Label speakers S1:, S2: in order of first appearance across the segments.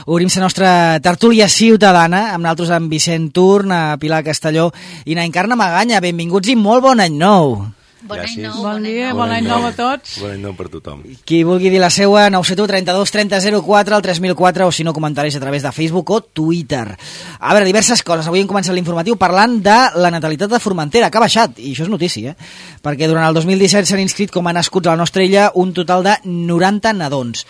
S1: Obrim la nostra tertúlia ciutadana, amb nosaltres en Vicent Turn, a Pilar Castelló i na Encarna Maganya. Benvinguts i molt bon any nou.
S2: Bon any nou.
S3: Bon dia, bon any nou a tots.
S4: Bon any nou per tothom.
S1: Qui vulgui dir la seua, 971 32 30 04, el 3004, o si no, comentaris a través de Facebook o Twitter. A veure, diverses coses. Avui hem començat l'informatiu parlant de la natalitat de Formentera, que ha baixat, i això és notícia, perquè durant el 2017 s'han inscrit com a nascuts a la nostra illa un total de 90 nadons.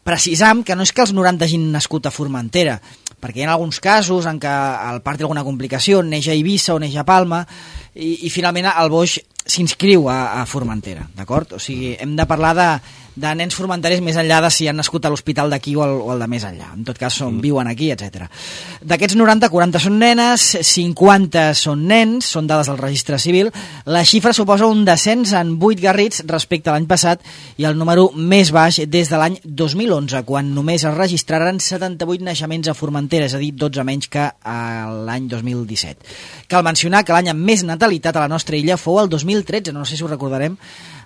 S1: Precisam que no és que els 90 hagin nascut a Formentera, perquè hi ha alguns casos en què el part té alguna complicació, neix a Eivissa o neix a Palma, i finalment el boix s'inscriu a Formentera, d'acord? O sigui, hem de parlar de nens formenterers més enllà de si han nascut a l'hospital d'aquí o el de més enllà. En tot cas, viuen aquí, etc. D'aquests 90, 40 són nenes, 50 són nens, són dades del registre civil. La xifra suposa un descens en 8 garrits respecte a l'any passat i el número més baix des de l'any 2011, quan només es registraren 78 naixements a Formentera, és a dir, 12 menys que l'any 2017. Cal mencionar que l'any amb més natalitat a la nostra illa fou el 2013, no sé si ho recordarem.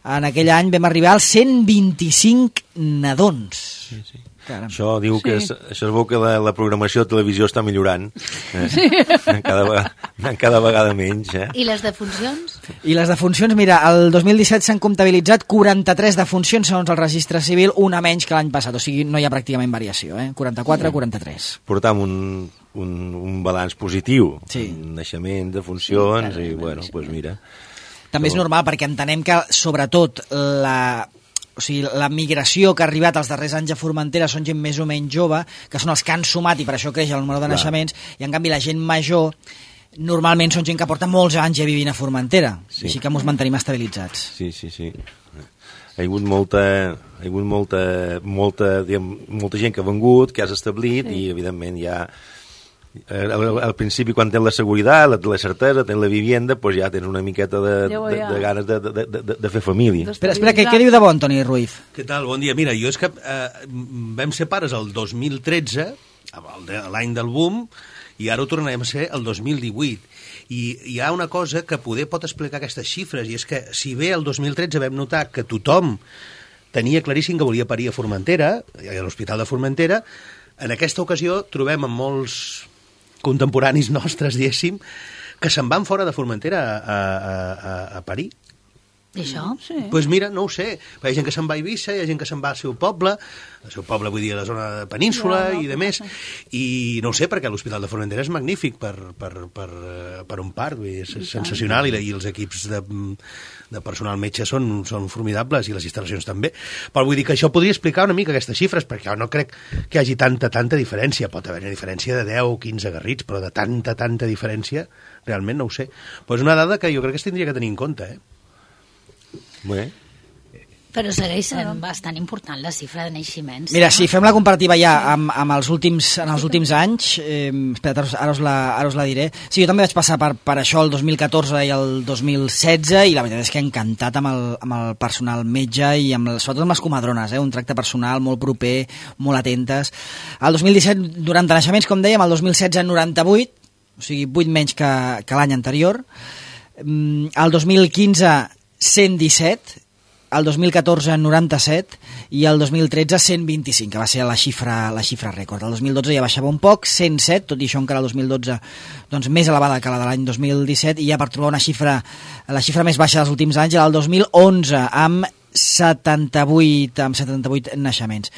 S1: En aquell any vam arribar als 125 nadons.
S4: Sí, sí. Això diu que això es veu que la programació de televisió està millorant.
S3: Sí.
S4: Cada vegada menys.
S2: I les defuncions?
S1: I les defuncions, mira, el 2017 s'han comptabilitzat 43 defuncions segons el registre civil, una menys que l'any passat, o sigui, no hi ha pràcticament variació, 44, 43.
S4: Portam un balanç positiu,
S1: sí.
S4: Naixement, defuncions, i bueno, doncs mira.
S1: També és normal, perquè entenem que, sobretot, la migració que ha arribat els darrers anys a Formentera són gent més o menys jove, que són els que han sumat, i per això creix el número de naixements, i en canvi la gent major normalment són gent que porta molts anys ja vivint a Formentera, sí. Així que ens mantenim estabilitzats.
S4: Sí. Hi ha hagut molta gent que ha vengut, que has establit, i evidentment ja... Al principi, quan tens la seguretat, la certesa, tens la vivienda, doncs ja tens una miqueta de ganes de fer família.
S1: Espera, què diu de bon, Toni Ruiz?
S5: Què tal? Bon dia. Mira, jo és que vam ser pares el 2013, l'any del boom, i ara ho tornarem a ser el 2018. I hi ha una cosa que poder pot explicar aquestes xifres, i és que si bé el 2013 vam notar que tothom tenia claríssim que volia parir a Formentera, a l'Hospital de Formentera, en aquesta ocasió trobem amb molts contemporanis nostres, diguéssim, que se'n van fora de Formentera a parir.
S2: I això?
S5: Doncs mira, no ho sé. Hi ha gent que se'n va a Eivissa, hi ha gent que se'n va al seu poble vull dir, a la zona de Península i de més, i no ho sé, perquè l'Hospital de Formentera és magnífic per un part, vull dir, és sensacional, i els equips de personal metge són formidables, i les instal·lacions també. Però vull dir que això podria explicar una mica aquestes xifres, perquè jo no crec que hi hagi tanta diferència. Pot haver una diferència de 10 o 15 garrits, però de tanta diferència, realment no ho sé. Però és una dada que jo crec que es tindria que tenir en compte,
S4: Bé.
S2: Però segueix sent bastant important la xifra de naixements.
S1: Mira, si fem la comparativa ja amb els últims anys, espera, ara us la diré. Sí, jo també vaig passar per això el 2014 i el 2016, i la veritat és que he encantat amb el personal metge i sobretot amb les comadrones, un tracte personal molt proper, molt atentes. El 2017, 90 naixements, com dèiem, el 2016, 98, o sigui, 8 menys que l'any anterior. El 2015, 117, el 2014 97 i el 2013 125, que va ser la xifra rècord. El 2012 ja baixava un poc, 107, tot i això encara el 2012 doncs, més elevada que la de l'any 2017, i ja per trobar la xifra més baixa dels últims anys era el 2011, amb 78 naixements.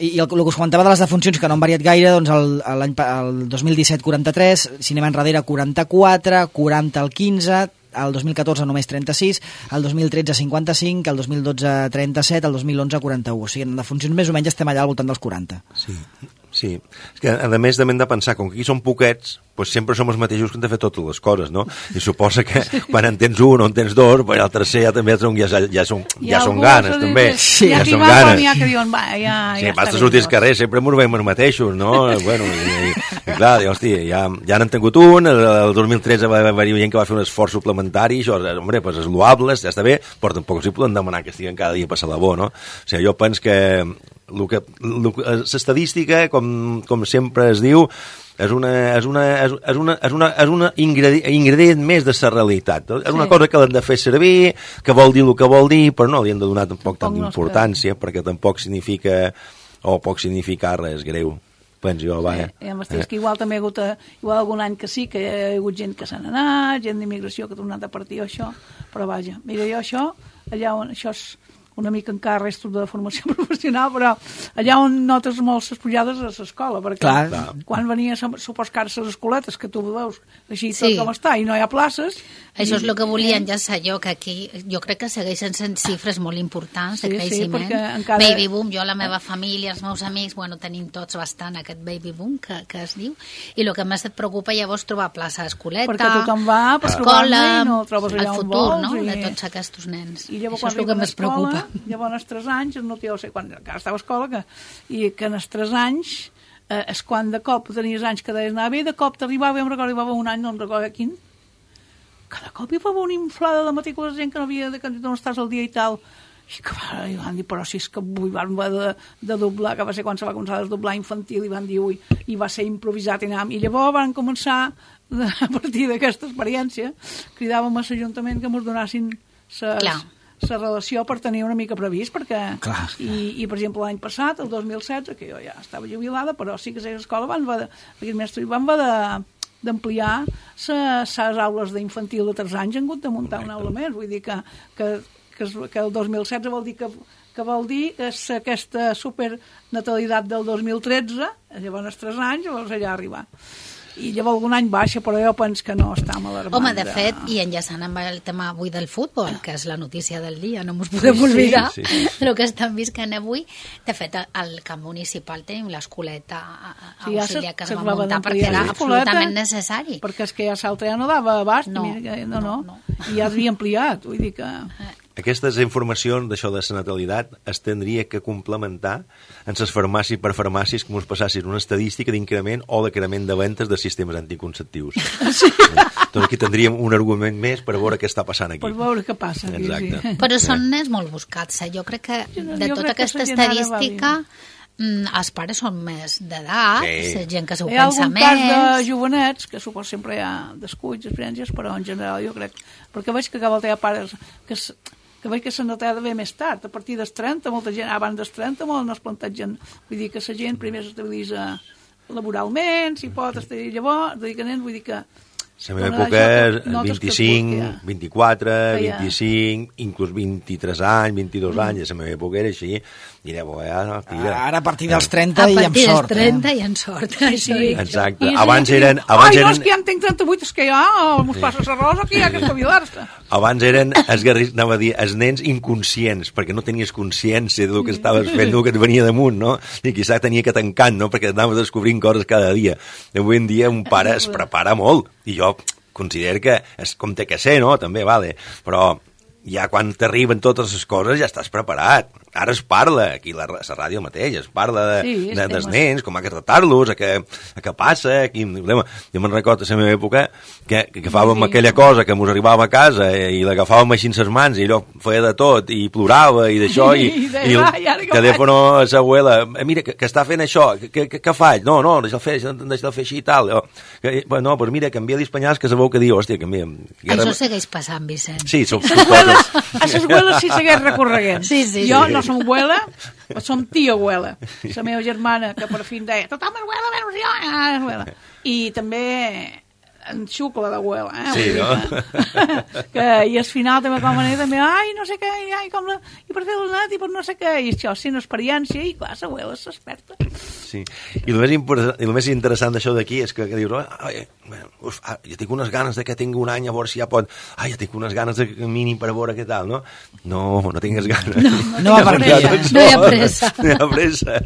S1: I el que us comentava de les defuncions, que no han variat gaire, doncs el 2017 43, cinema enrere 44, 40 al 15, el 2014 només 36, el 2013 55, el 2012 37, el 2011 41. O sigui, en defuncions més o menys estem allà al voltant dels 40.
S4: Sí. És que, a més, hem de pensar, com que aquí són poquets, doncs sempre som els mateixos que hem de fer totes les coses, no? I suposa que quan en tens un o en tens dos, el tercer ja també ja són ganes, també.
S3: Sí,
S4: ja són ganes.
S3: N'hi ha que diuen,
S4: sí, basta sortir al carrer, sempre ens veiem els mateixos, no? Bueno, i clar, hòstia, ja n'han tingut un, el 2013 va haver-hi gent que va fer un esforç suplementari, això, home, doncs és loable, ja està bé, però tampoc s'hi poden demanar que estiguen cada dia a passar la bo, no? O sigui, jo penso que l'estadística, com sempre es diu, és un ingredient més de la realitat. És una cosa que l'hem de fer servir, que vol dir el que vol dir, però no li hem de donar tampoc tanta importància, perquè tampoc significa, o poc significar res greu. penso jo, va.
S3: És que igual també hi ha hagut igual algun any que sí, que hi ha hagut gent que se n'ha anat, gent d'immigració que ha tornat a partir, això, però vaja, mira, jo això, allà on això és una mica encara restos de formació professional, però allà on notes molt les pujades a l'escola, perquè quan venia, supos que ara les escoletes, que tu veus així tot com està, i no hi ha places...
S2: Això és el que volia enllaçar jo, que aquí jo crec que segueixen sent xifres molt importants de creixement. Baby boom, jo, la meva família, els meus amics, bueno, tenim tots bastant aquest baby boom que es diu, i el que més et preocupa llavors trobar plaça d'escoleta,
S3: perquè tothom va per
S2: escola,
S3: no trobes allà
S2: el futur, no?, de tots aquests nens.
S3: I llavors,
S2: això és el que més preocupa.
S3: Llavors, als 3 anys, no sé quan encara estava a escola, i que als 3 anys és quan de cop tenies anys que deies anar bé, de cop t'arribava, jo em recordo, arribava un any, no em recordo quin, cada cop hi va haver una inflada de matrícules de gent que no havia de candidatar on estàs el dia i tal, i que van dir, però si és que avui van de doblar, que va ser quan se va començar a desdoblar infantil, i van dir, ui, i va ser improvisat, i llavors van començar, a partir d'aquesta experiència, cridàvem a l'Ajuntament que ens donassin la relació per tenir una mica previst, perquè i per exemple l'any passat, el 2016, que jo ja estava jubilada, però sí que a l'escola van haver d'ampliar les aules d'infantil de 3 anys, han hagut de muntar una aula més, vull dir que el 2016 vol dir que vol dir que aquesta supernatalitat del 2013, llavors als 3 anys, llavors allà arribar. I llavors algun any baixa, però jo penso que no està alarmant.
S2: Home, de fet, i enllaçant amb el tema avui del futbol, que és la notícia del dia, no ens podem oblidar el que estan visquent avui. De fet, al camp municipal tenim l'escoleta auxiliar que es va muntar perquè era absolutament necessari.
S3: Perquè és que ja l'altre ja no dava abast, no. I ja s'havia ampliat, vull dir que...
S4: Aquestes informacions d'això de la natalitat es tindria que complementar en les farmàcies per farmàcies que ens passassin una estadística d'increment o decrement de ventes de sistemes anticonceptius. Sí. Doncs aquí tindríem un argument més per veure què està passant aquí.
S3: Per veure què passa aquí,
S4: exacte.
S2: Però són nens molt buscats. Jo crec que de tota aquesta estadística... els pares són més d'edat, gent que s'ho pensa més...
S3: Hi ha algun cas de jovenets, que supos sempre hi ha descuits, experiències, però en general jo crec... Perquè veig que cada volta hi ha pares que veig que s'han notat bé més tard, a partir dels 30, molta gent, abans dels 30, molt no es plantegen... Vull dir que la gent primer s'estabilitza laboralment, si pot estar llavors, vull dir que...
S4: La meva època és 25, 24, 25, inclús 23 anys, 22 anys, la meva època era així, i llavors
S1: ara a partir dels 30 i amb sort.
S2: A partir dels 30 i amb sort.
S3: Sí.
S4: Exacte. Abans eren...
S3: Ai, no, és que ja en tenc 38, és que ja mos passa la rosa, que hi ha que espavilar-se.
S4: Abans eren, anava a dir, els nens inconscients, perquè no tenies consciència del que estaves fent, del que et venia damunt, no? I quizà tenia que tancant, no? Perquè anaves descobrint coses cada dia. Avui en dia un pare es prepara molt, i jo considero que és com té que ser, no? També, vale. Però ja quan t'arriben totes les coses ja estàs preparat. Ara es parla, aquí a la ràdio mateix, es parla dels nens, com ha que tractar-los, a què passa, quin problema. Jo me'n recordo a la meva època que agafàvem aquella cosa que mos arribava a casa i l'agafàvem així en ses mans i allò feia de tot i plorava i d'això i el telèfon a l'abuela, mira, que està fent això, què faig? No, deixa'l fer així i tal. No, doncs mira, canvia d'espanyals que sabeu que diu, hòstia, canvia.
S2: Això segueix passant, Vicent.
S4: Sí, som
S3: coses. A les abueles sí segueix recorreguent.
S2: Sí.
S3: Jo no som abuela, som tia abuela. La meva germana, que per fi em deia, tothom és abuela, menys jo, abuela. I també en xucla d'abuela,
S4: Sí, no?
S3: I al final també com a també, no sé què, i per fer el net, i per no sé què, i això, sí, una experiència, i clar, l'abuela s'experta.
S4: Sí, i el més interessant d'això d'aquí és que dius, jo tinc unes ganes de que tingui un any, a veure si ja pot, ja tinc unes ganes de mínim per a veure què tal, no? No tingues ganes.
S1: No hi ha pressa.
S4: No hi ha pressa.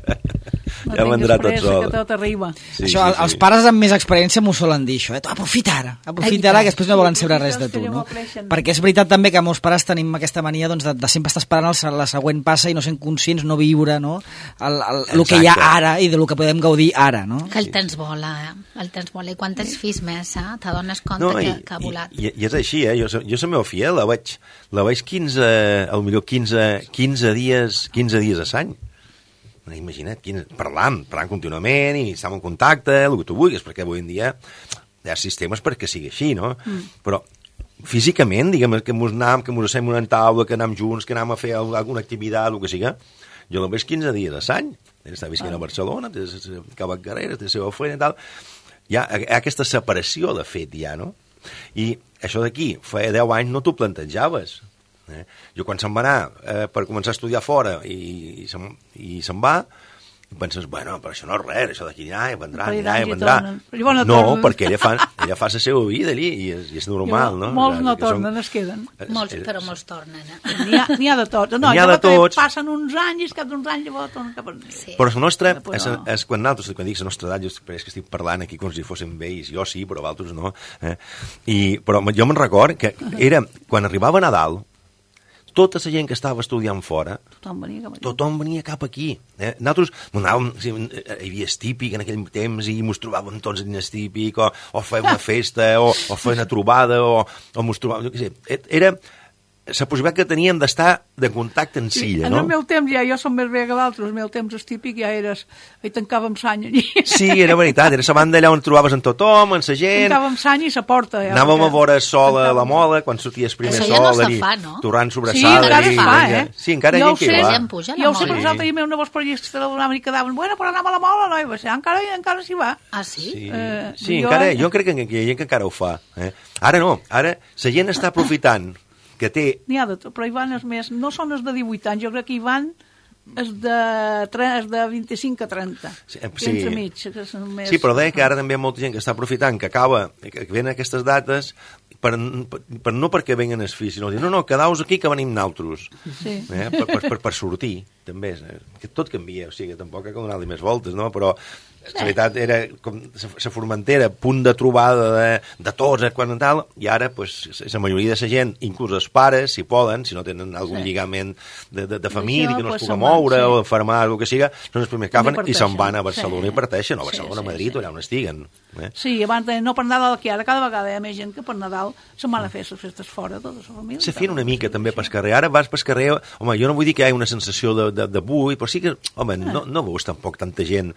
S4: Ja vendrà tot sol.
S3: Que tot arriba.
S1: Això, els pares amb més experiència m'ho solen dir, això, aprofita ara, que després no volen saber res de tu, no? Perquè és veritat també que molts pares tenim aquesta mania de sempre estar esperant la següent passa i no sent conscients, no viure, no? El que hi ha ara i del que podem gaudir ara, no?
S2: Que el temps vola, el temps vola, i quan tens fills més, t'adones compte que ha volat.
S4: I és així, jo la meva filla la veig 15, potser 15 dies a l'any. Imagina't, parlant contínuament i estem en contacte, el que tu vulguis, perquè avui en dia hi ha sistemes perquè sigui així, no? Però físicament, diguem, que mos assem una taula, que anem junts, que anem a fer alguna activitat, el que siga, jo la veig 15 dies a l'any. està visquent a Barcelona, té cava carreres, té la seva feina i tal. Hi ha aquesta separació, de fet, ja, no? I això d'aquí, fa 10 anys no t'ho plantejaves. Jo quan se'n va anar per començar a estudiar fora i se'n va, i penses, bueno, però això no és res, això d'aquí anirà, vendrà. No, perquè ella fa la seva vida allí i és normal, no?
S3: Molts no tornen, es queden.
S2: Però molts tornen.
S3: N'hi ha de tots. No,
S4: n'hi ha de tots.
S3: Passen uns anys i cap d'uns anys llavors tornen cap a...
S4: Però la nostra, quan nosaltres, quan dic la nostra edat, jo és que estic parlant aquí com si fóssim vells, jo sí, però altres no. Però jo me'n record que era, quan arribava Nadal, tota la gent que estava estudiant fora, tothom venia cap aquí. Nosaltres anàvem, hi havia estípic en aquell temps i mos trobàvem tots en estípic, o feia una festa, o feia una trobada, o mos trobàvem, jo què sé. Era la possibilitat que teníem d'estar de contacte en silla, no?
S3: En el meu temps, jo som més bé que d'altres, el meu temps estípic ja eres... Hi tancàvem sany allí.
S4: Sí, era veritat, era la banda allà on trobaves en tothom, en la gent...
S3: Tancàvem sany i la porta.
S4: Anàvem a veure sol a la mola, quan sorties primer sol, allí, torrant sobrassada.
S3: Sí, encara es fa,
S4: Sí, encara hi ha gent que hi va.
S3: Jo ho sé, per nosaltres hi havia una vols periodistes i quedaven, bueno, però anàvem a la mola, no? I va ser, encara s'hi va.
S2: Ah, sí?
S4: Sí, encara, jo crec que hi ha gent que encara ho fa. Ara no, ara la gent està aprofitant que té...
S3: N'hi ha de tot, però hi van els més... No són els de 18 anys, jo crec que hi van els de 25 a 30.
S4: Sí,
S3: sí,
S4: però deia que ara també hi ha molta gent que està aprofitant, que venen aquestes dates no perquè venguen els fills, sinó dir, no, quedau-vos aquí que venim naltros.
S3: Sí.
S4: Per sortir, també. Que tot canvia, o sigui, tampoc cal donar-li més voltes, no? Però la veritat era com la Formentera, punt de trobada de tots, quan tal, i ara la majoria de la gent, inclús els pares, si poden, si no tenen algun lligament de família que no es pugui moure o enfermar, o el que siga, són els primers que agafen i se'n van a Barcelona i parteixen, o a Barcelona, a Madrid, o allà on estiguen.
S3: Sí, abans no per Nadal, que ara cada vegada hi ha més gent que per Nadal se'n van a fer les festes fora, tota la família.
S4: Se feien una mica també pel carrer, ara vas pel carrer, home, jo no vull dir que hi hagi una sensació de buit, però sí que, home, no veus tampoc tanta gent.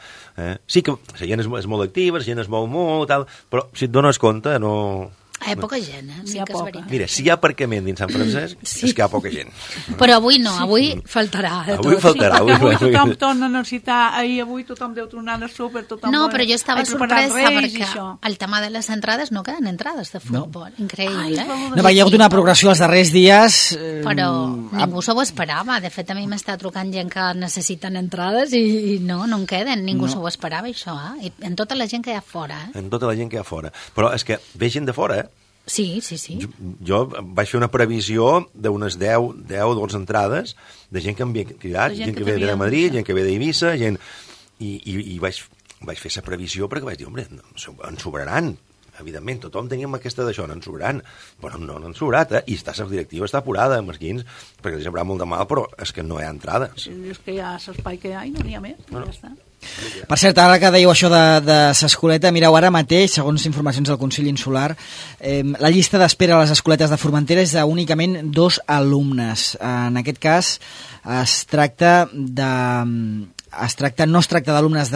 S4: Sí que la gent és molt activa, la gent es mou molt, tal, però si et dones compte, no...
S2: Hi ha poca gent, sí que és veritat.
S4: Mira, si hi ha aparcament dins Sant Francesc, és que hi ha poca gent.
S2: Però avui no, avui faltarà.
S4: Avui faltarà.
S3: Avui tothom torna a necessitar, avui tothom deu tornar al súper, tothom...
S2: No, però jo estava sorpresa perquè el tema de les entrades no queden entrades de futbol. Increïble.
S1: No, hi ha hagut una progressió els darrers dies...
S2: Però ningú s'ho esperava. De fet, a mi m'està trucant gent que necessiten entrades i no en queden. Ningú s'ho esperava, això. En tota la gent que hi ha fora.
S4: En tota la gent que hi ha fora. Però és que ve gent de fora,
S2: Sí.
S4: Jo vaig fer una previsió d'unes 10 o 12 entrades de gent que m'havia cridat, gent que ve de Madrid, gent que ve d'Eivissa, i vaig fer la previsió perquè vaig dir, home, en sobraran. Evidentment, tothom teníem aquesta d'això, no en sobraran. Però no en sobrat, i la directiva està apurada, mesquins, perquè li semblarà molt de mal, però és que no hi ha entrades.
S3: És que hi ha l'espai que hi ha i no n'hi ha més, ja està.
S1: Per cert, ara que dèieu això de s'escoleta, mireu, ara mateix, segons informacions del Consell Insular, la llista d'espera a les escoletes de Formentera és d'únicament 2 alumnes. En aquest cas, no es tracta d'alumnes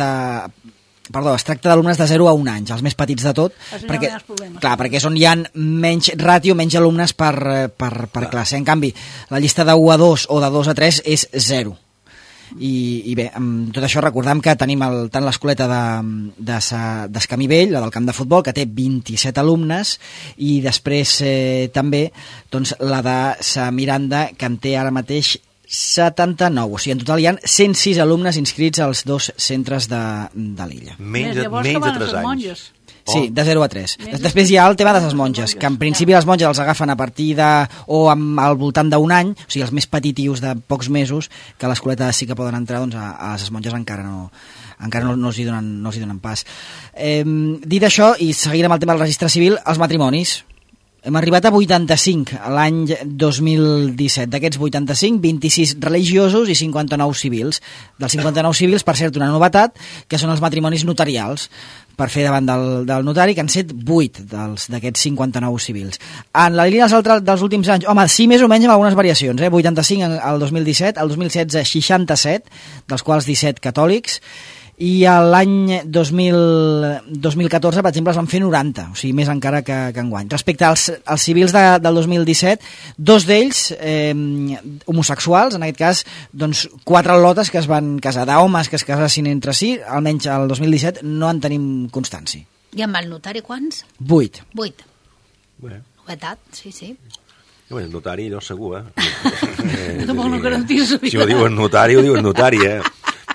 S1: de 0 a 1 anys, els més petits de tot, perquè és on hi ha menys ràtio, menys alumnes per classe. En canvi, la llista de 1 a 2 o de 2 a 3 és 0. I bé, amb tot això recordem que tenim tant l'escoleta d'Escamí Vell, la del camp de futbol, que té 27 alumnes, i després també la de Sa Miranda, que en té ara mateix 79. O sigui, en total hi ha 106 alumnes inscrits als 2 centres de l'illa.
S4: Menys de 3 anys.
S1: Sí, de 0 a 3. Després hi ha el tema de les monges, que en principi les monges els agafen a partir o al voltant d'un any, o sigui, els més petitius de pocs mesos, que a l'escoleta sí que poden entrar, doncs a les monges encara no els hi donen pas. Dit això, i seguint amb el tema del registre civil, els matrimonis. Hem arribat a 85 l'any 2017. D'aquests 85, 26 religiosos i 59 civils. Dels 59 civils, per cert, una novetat, que són els matrimonis notarials, per fer davant del notari, que han set 8 d'aquests 59 civils. En la línia dels últims anys, home, sí, més o menys amb algunes variacions, 85 al 2017, al 2016 67, dels quals 17 catòlics, i l'any 2014, per exemple, es van fer 90, o sigui, més encara que enguany. Respecte als civils del 2017, 2 d'ells homosexuals, en aquest cas, doncs 4 lotes que es van casar, d'homes que es casassin entre si, almenys el 2017 no en tenim constància.
S2: I amb el notari quants?
S1: 8.
S2: 8.
S4: Bé.
S2: Novetat, sí.
S4: El notari, allò segur,
S3: Tampoc no garantir-ho.
S4: Si ho diuen notari, ho diuen notari,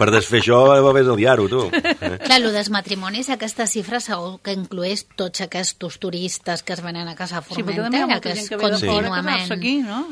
S4: Per desfer això, ves a liar-ho, tu.
S2: Clar, el dels matrimonis, aquesta xifra segur que inclueix tots aquests turistes que es venen a casa a Formentera, que és contínuament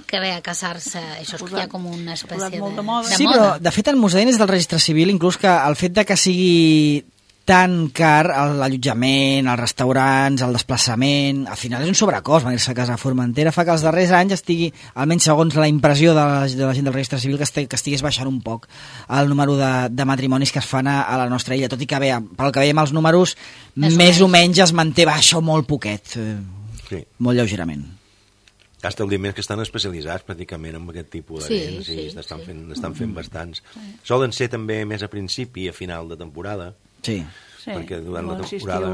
S2: que ve a casar-se. Això és que hi ha com una espècie de moda.
S1: Sí, però de fet el Museu és del Registre Civil, inclús que el fet de que sigui tan car l'allotjament, els restaurants, el desplaçament, al final és un sobrecost venir-se a casa a Formentera, fa que els darrers anys estigui, almenys segons la impressió de la gent del Registre Civil, que estigués baixant un poc el número de matrimonis que es fan a la nostra illa, tot i que bé, pel que veiem els números, més o menys es manté baixa molt poquet, molt lleugerament.
S4: Hi ha establiments que estan especialitzats pràcticament en aquest tipus de nens, n'estan fent bastants. Solen ser també més a principi i a final de temporada.
S1: Sí.
S4: Perquè durant la temporada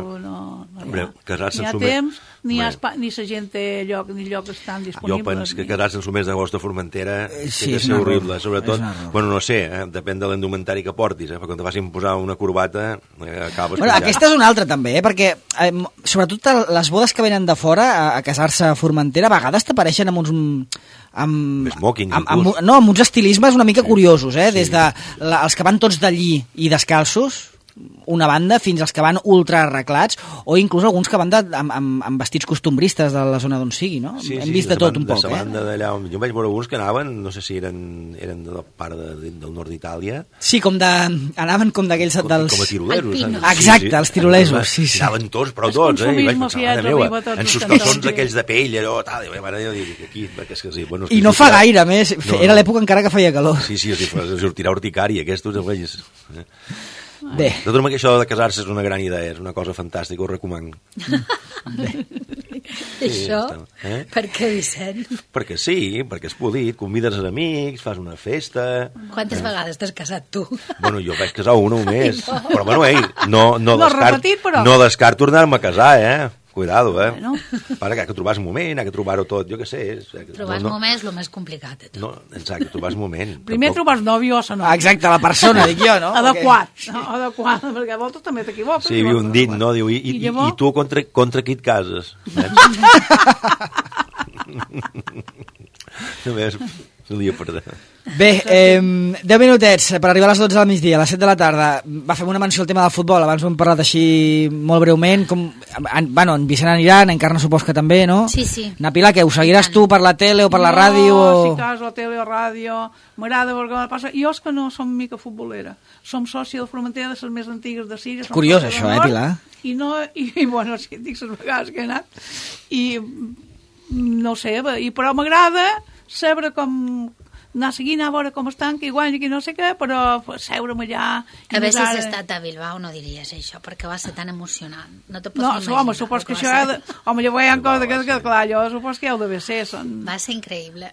S3: casar-se ni hi ha temps ni la gent té lloc ni lloc estan disponibles.
S4: Jo penso que casar-se en el mes d'agost a Formentera té de ser horrible, sobretot, bueno, no sé, depèn de l'indumentari que portis, perquè quan te facin posar una corbata acabes penjant.
S1: Aquesta és una altra també, perquè sobretot les bodes que venen de fora a casar-se a Formentera a vegades t'apareixen amb uns amb uns estilismes una mica curiosos, des de els que van tots d'allí i descalços, una banda, fins als que van ultra arreglats, o inclús alguns que van amb vestits costumbristes de la zona d'on sigui, no? Hem vist de tot un poc,
S4: Jo vaig veure alguns que anaven, no sé si eren de la part del nord d'Itàlia.
S1: Sí, anaven com d'aquells...
S4: Com a tirolesos.
S1: Exacte, els tirolesos.
S4: Anaven tots, però tots, i vaig pensar, mare meva, en sus calçons aquells de pell, allò,
S1: i no fa gaire, més, era l'època encara que feia calor.
S4: Sí, sortirà urticària, aquests,
S1: Bé.
S4: De tot que això de casar-se és una gran idea, és una cosa fantàstica, ho recomano.
S2: Això? Per què, Vicent?
S4: Perquè sí, perquè és polit, convides els amics, fas una festa...
S2: Quantes vegades t'has casat tu?
S4: Bueno, jo vaig casar una només, però bueno, no descarto tornar-me a casar, Cuidado, Bueno. Para que trobàs moment, que trobar-ho tot, jo què sé.
S2: Trobar el moment és el més complicat de tot.
S4: No, exacte, trobàs moment.
S3: Primer trobàs nòvio o sa nòvia.
S1: Exacte, la persona, dic jo, no?
S3: Adequat, perquè a voltes també t'equivoques.
S4: Sí, hi havia un dit, no? Diu, i tu contra qui et cases? Només un dia per allà.
S1: Bé, 10 minutets per arribar a les 12 del migdia, a les 7 de la tarda. Va fer una menció al tema del futbol, abans ho hem parlat així molt breument. En Vicent anirà, en Encarna supos que també, no?
S2: Sí.
S1: Na Pilar, què, ho seguiràs tu per la tele o per la ràdio?
S3: No, si cas, la tele o ràdio, m'agrada veure què passa. Jo és que no som mica futbolera, som sòcia de Formentera, de les més antigues de Silla.
S1: Curiós això, Pilar?
S3: I bueno, sí, dic les vegades que he anat, i no sé, però m'agrada saber com anar seguint a veure com estan, que igual que no sé què, però seure'm allà...
S2: A veure si has estat a Bilbao no diries això, perquè va ser tan emocionant. No te pots imaginar.
S3: Home, supos que això... Home, jo veia coses que, clar, jo supos que heu de ser.
S2: Va ser increïble.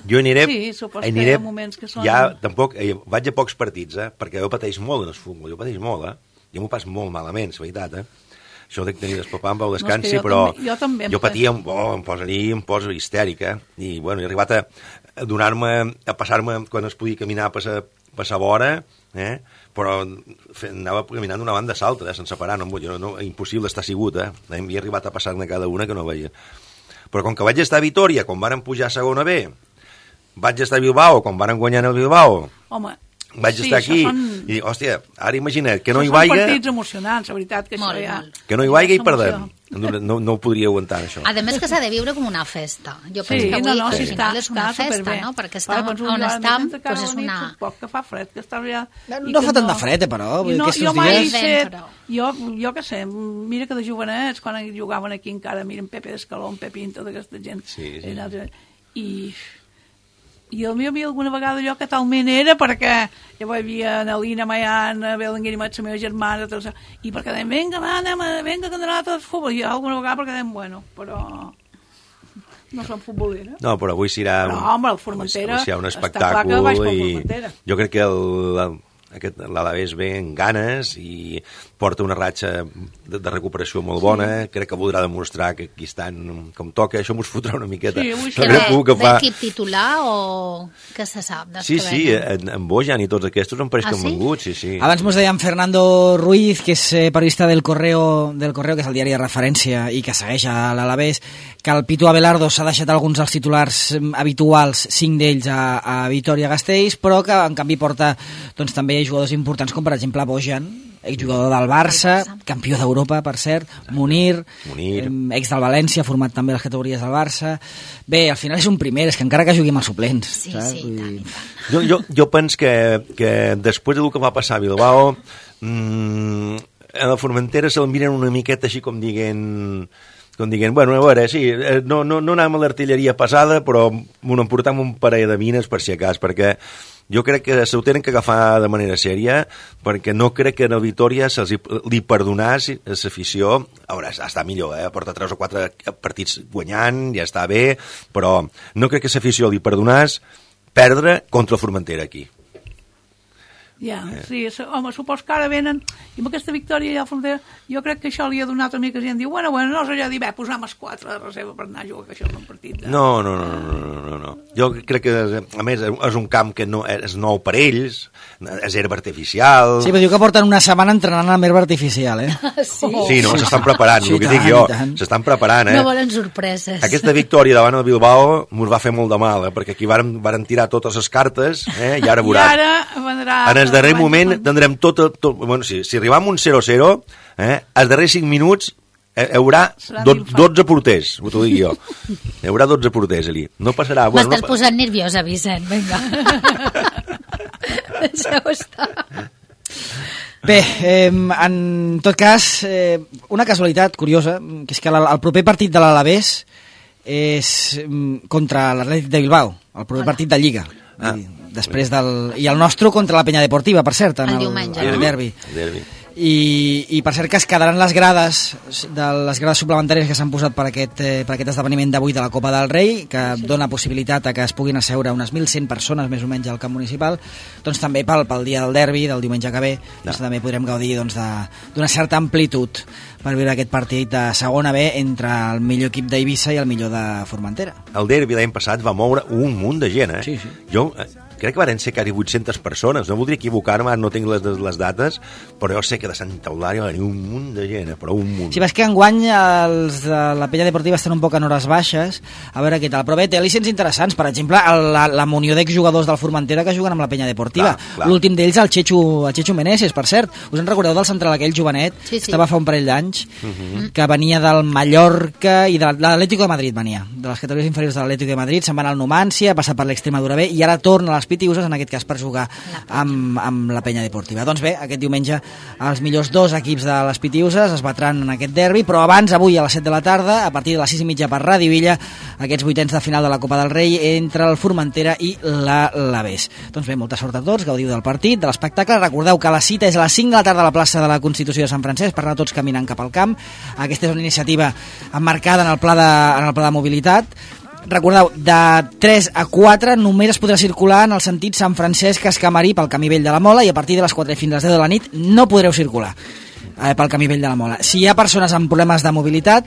S4: Jo aniré...
S3: Sí, supos que hi ha moments que són...
S4: Ja, tampoc... Vaig a pocs partits, perquè jo pateix molt en el futbol, jo pateix molt, Jo m'ho pas molt malament, és veritat, Això de tenir el papà em vau descansi, però jo patia, em poso histèrica, i bueno, he arribat a passar-me quan es podia caminar per la vora, però anava caminant d'una banda a l'altra, sense parar, impossible estar sigut, Havia arribat a passar-ne cada una que no veia. Però com que vaig estar a Vitòria, quan varen pujar a segona B, vaig estar a Bilbao, quan varen guanyar el Bilbao, vaig estar aquí i dic, hòstia, ara imagina't que no hi vaiga...
S3: Són partits emocionants, la veritat, que això ja...
S4: Que no hi vaiga i perdem. No ho podria aguantar, això.
S2: A més que s'ha de viure com una festa. Jo penso que avui al final és una festa, no? Perquè on estem, doncs és una...
S3: Que fa fred, que està allà...
S1: No fa tant de fred, però.
S3: Jo què sé, mira que de jovenets, quan jugaven aquí encara, miren Pepe d'Escaló, Pepín, tota aquesta gent. I el meu havia alguna vegada allò que talment era perquè jo hi havia Nelina, Maiana, Belenguer i la meva germana, i perquè dèiem, vinga, que anem a tot futbol. I alguna vegada perquè dèiem, bueno, però no som futboleres.
S4: No, però avui serà...
S3: No, home, el Formentera,
S4: un espectacle i jo crec que l'Alavés ve en ganes i porta una ratxa de recuperació molt bona, crec que voldrà demostrar que aquí estan com toca, això m'ho fotrà una miqueta.
S2: L'equip titular o què se sap?
S4: Sí, en Bojan i tots aquests em pareix que han vengut, sí.
S1: Abans mos deien Fernando Ruiz, que és periodista del Correo, que és el diari de referència i que segueix a l'Alavés, que el Pitu Abelardo s'ha deixat alguns dels titulars habituals, 5 d'ells a Vitoria-Gasteiz, però que en canvi porta doncs, també jugadors importants com per exemple Bojan, exjugador del Barça, campió d'Europa, per cert, Munir, ex del València, format també a les categories del Barça. Bé, al final és un primer, és que encara que jugui amb els suplents.
S2: Sí, tant.
S4: Jo penso que després del que va passar a Bilbao, a la Formentera se'l miren una miqueta així com dient, bueno, a veure, sí, no anàvem a l'artilleria pesada, però m'ho emportam un parell de mines per si acas, perquè jo crec que s'ho tenen que agafar de manera sèria, perquè no crec que a Vitoria li perdonàs a l'afició. A veure, està millor, porta 3 o 4 partits guanyant, ja està bé, però no crec que l'afició li perdonàs perdre contra el Formentera aquí.
S3: Ja, sí, home, supos que ara venen i amb aquesta victòria ja a Frontera jo crec que això li ha donat una mica gent diu, bueno, no sé, ja dir, posam els 4 de reserva per anar a jugar, que això és un partit
S4: No. Jo crec que, a més, és un camp que no és nou per ells, és herba artificial.
S1: Sí, però diu que porten una setmana entrenant amb herba artificial,
S4: Sí, no, s'estan preparant, el que dic jo, s'estan preparant,
S2: No volen sorpreses.
S4: Aquesta victòria davant el Bilbao mos va fer molt de mal, perquè aquí varen tirar totes les cartes, i ara veuràs.
S3: I ara vendrà...
S4: En el darrer moment tindrem tot... Bueno, si arribam un 0-0, als darrers 5 minuts hi haurà 12 porters, t'ho dic jo. Hi haurà 12 porters allí. No passarà...
S2: M'estàs posant nerviosa, Vicent, vinga. Deixeu estar.
S1: Bé, en tot cas, una casualitat curiosa, que és que el proper partit de l'Alavés és contra l'Atlètic de Bilbao, el proper partit de Lliga. Després i el nostre contra la Penya Deportiva, per cert, en el derbi. I per cert que es quedaran les grades suplementàries que s'han posat per aquest esdeveniment d'avui de la Copa del Rei, que dona possibilitat a que es puguin asseure unes 1.100 persones més o menys al camp municipal, doncs també pel dia del derbi del diumenge que ve, doncs també podrem gaudir d'una certa amplitud per viure aquest partit de segona B entre el millor equip d'Eivissa i el millor de Formentera.
S4: El derbi l'any passat va moure un munt de gent,
S1: Sí.
S4: Jo crec que van ser quasi 800 persones, no voldria equivocar-me, no tinc les dates, però jo sé que de Santa Eulàlia va venir un munt de gent, però un munt.
S1: Sí, ves que enguany els de la Penya Deportiva estan un poc en hores baixes, a veure què tal, però bé, té al·licents interessants, per exemple, la munió d'exjugadors del Formentera que juguen amb la Penya Deportiva. Clar. L'últim d'ells, el Chechu Meneses, per cert. Us en recordeu del central aquell jovenet? Sí. Estava fa un parell d'anys, que venia del Mallorca i de l'Atlético de Madrid venia, de les categories inferiors de l'Atlético de Madrid, se'n va anar al Numancia, ha passat per l'Extremadura B i ara torna a les Pitiuses, en aquest cas per jugar amb la Penya Deportiva. Doncs bé, aquest diumenge els millors 2 equips de les Pitiuses es batran en aquest derbi, però abans, avui a les 7 de la tarda, a partir de les 6:30 per Ràdio Villa, aquests 8ens de final de la Copa del Rei entre el Formentera i l'Alavés. Doncs bé, molta sort a tots, gaudiu del partit, de l'espectacle. Recordeu que la cita és a les 5 de la tarda a la plaça de la Constitució de Sant Francesc per anar tots caminant cap al camp. Aquesta és una iniciativa emmarcada en el pla de mobilitat. Recordeu, de 3 a 4 només es podrà circular en el sentit Sant Francesc-Escamarí pel camí vell de la Mola, i a partir de les 4 fins a les 10 de la nit no podreu circular pel camí vell de la Mola. Si hi ha persones amb problemes de mobilitat,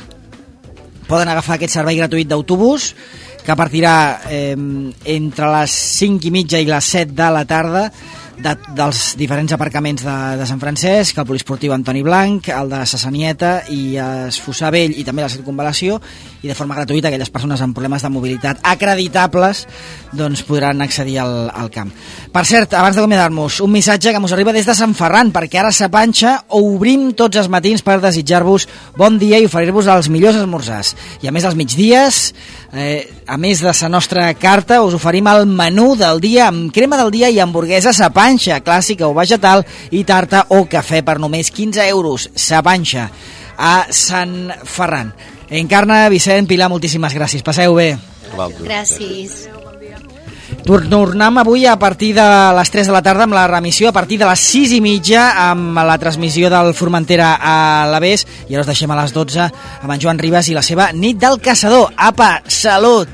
S1: poden agafar aquest servei gratuït d'autobús que partirà entre les 5:30 i les 7 de la tarda dels diferents aparcaments de Sant Francesc, el poliesportiu Antoni Blanc, el de Sassanieta i Esfossar Vell i també la Circunvalació, i de forma gratuïta aquelles persones amb problemes de mobilitat acreditables doncs podran accedir al camp. Per cert, abans d'acomiadar-nos, un missatge que ens arriba des de Sant Ferran, perquè ara a Panxa obrim tots els matins per desitjar-vos bon dia i oferir-vos els millors esmorzars. I a més dels migdies, a més de la nostra carta, us oferim el menú del dia amb crema del dia i hamburguesa a Panxa, clàssica o vegetal, i tarta o cafè per només 15 euros. Sa Panxa, a Sant Ferran. Encarna, Vicent, Pilar, moltíssimes gràcies. Passeu bé.
S2: Gràcies.
S1: Tornem avui a partir de les 3 de la tarda amb la remissió, a partir de les 6:30 amb la transmissió del Formentera a l'Alavés, i ara us deixem a les 12 amb en Joan Ribas i la seva Nit del Caçador. Apa, salut!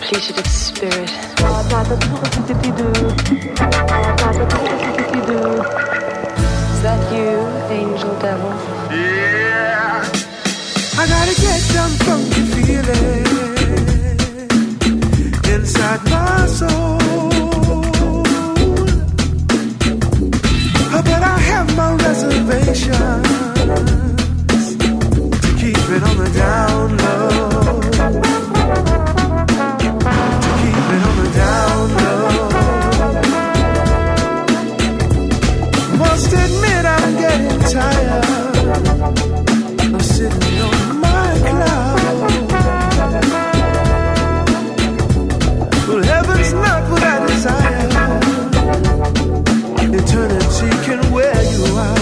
S6: depleted its spirit. Is that you, angel devil?
S7: Yeah. I gotta get some funky feeling inside my soul. But I have my reservations to keep it on the down low. To keep it on the down low. Must admit I'm getting tired of sitting on my cloud. Well, heaven's not what I desire. Eternity can wear you out.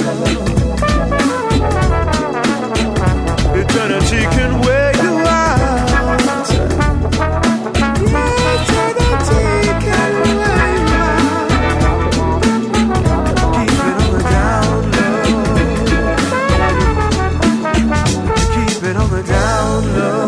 S7: Eternity can wear you out. Eternity can wear you out. Keep it on the down low. Keep it on the down low.